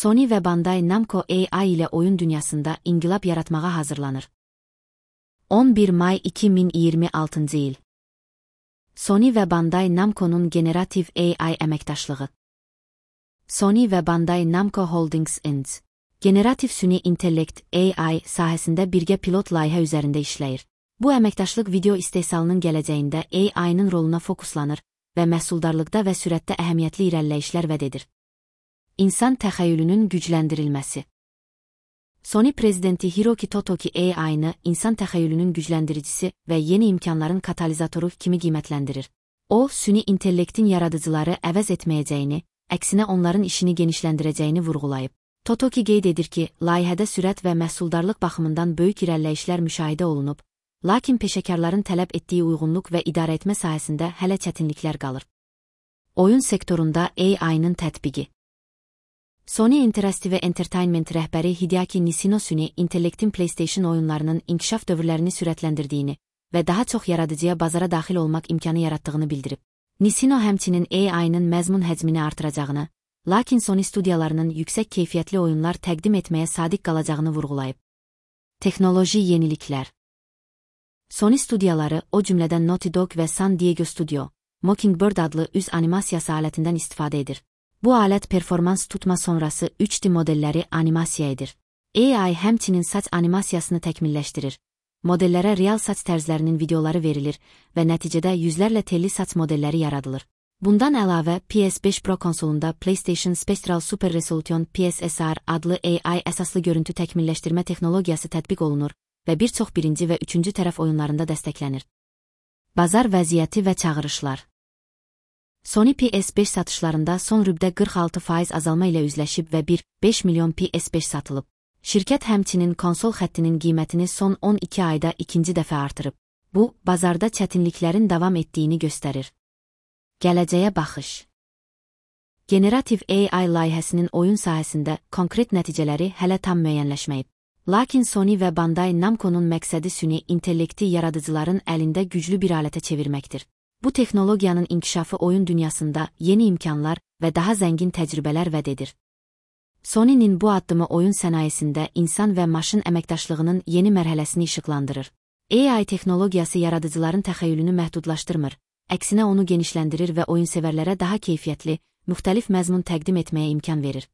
Sony və Bandai Namco AI ilə oyun dünyasında inqilab yaratmağa hazırlanır. 11 may 2026 il. Sony və Bandai Namco'nun generativ AI əməkdaşlığı. Sony və Bandai Namco Holdings Inc. generativ süni intellekt AI sahəsində birgə pilot layihə üzərində işləyir. Bu əməkdaşlıq video istehsalının gələcəyində AI-nın roluna fokuslanır və məhsuldarlıqda və sürətdə əhəmiyyətli irəliləyişlər vəd edir. İnsan təxəyyülünün gücləndirilməsi. Sony prezidenti Hiroki Totoki AI-nı insan təxəyyülünün gücləndiricisi və yeni imkanların katalizatoru kimi qiymətləndirir. O, süni intellektin yaradıcıları əvəz etməyəcəyini, əksinə onların işini genişləndirəcəyini vurğulayıb. Totoki qeyd edir ki, layihədə sürət və məhsuldarlıq baxımından böyük irəliləyişlər müşahidə olunub, lakin peşəkarların tələb etdiyi uyğunluq və idarəetmə sahəsində hələ çətinliklər qalır. Oyun sektorunda AI-nın tətbiqi. Sony Interactive Entertainment rəhbəri Hideaki Nishino süni intellektin PlayStation oyunlarının inkişaf dövrlərini sürətləndirdiyini və daha çox yaradıcıya bazara daxil olmaq imkanı yaratdığını bildirib. Nishino həmçinin AI-nın məzmun həcmini artıracağını, lakin Sony studiyalarının yüksək keyfiyyətli oyunlar təqdim etməyə sadiq qalacağını vurğulayıb. Texnoloji yeniliklər. Sony studiyaları, o cümlədən Naughty Dog və San Diego Studio, Mockingbird adlı üz animasiyası alətindən istifadə edir. Bu alət performans tutma sonrası 3D modelləri animasiya edir. AI həmçinin saç animasiyasını təkmilləşdirir. Modellərə real saç tərzlərinin videoları verilir və nəticədə yüzlərlə telli saç modelləri yaradılır. Bundan əlavə, PS5 Pro konsolunda PlayStation Spectral Super Resolution PSSR adlı AI əsaslı görüntü təkmilləşdirmə texnologiyası tətbiq olunur və bir çox birinci və üçüncü tərəf oyunlarında dəstəklənir. Bazar vəziyyəti və çağırışlar. Sony PS5 satışlarında son rübdə 46% azalma ilə üzləşib və 1,5 milyon PS5 satılıb. Şirkət həmçinin konsol xəttinin qiymətini son 12 ayda ikinci dəfə artırıb. Bu, bazarda çətinliklərin davam etdiyini göstərir. Gələcəyə baxış. Generativ AI layihəsinin oyun sahəsində konkret nəticələri hələ tam müəyyənləşməyib. Lakin Sony və Bandai Namco'nun məqsədi süni intellekti yaradıcıların əlində güclü bir alətə çevirməkdir. Bu texnologiyanın inkişafı oyun dünyasında yeni imkanlar və daha zəngin təcrübələr vəd edir. Sony'nin bu addımı oyun sənayesində insan və maşın əməkdaşlığının yeni mərhələsini işıqlandırır. AI texnologiyası yaradıcıların təxəyyülünü məhdudlaşdırmır, əksinə onu genişləndirir və oyunsevərlərə daha keyfiyyətli, müxtəlif məzmun təqdim etməyə imkan verir.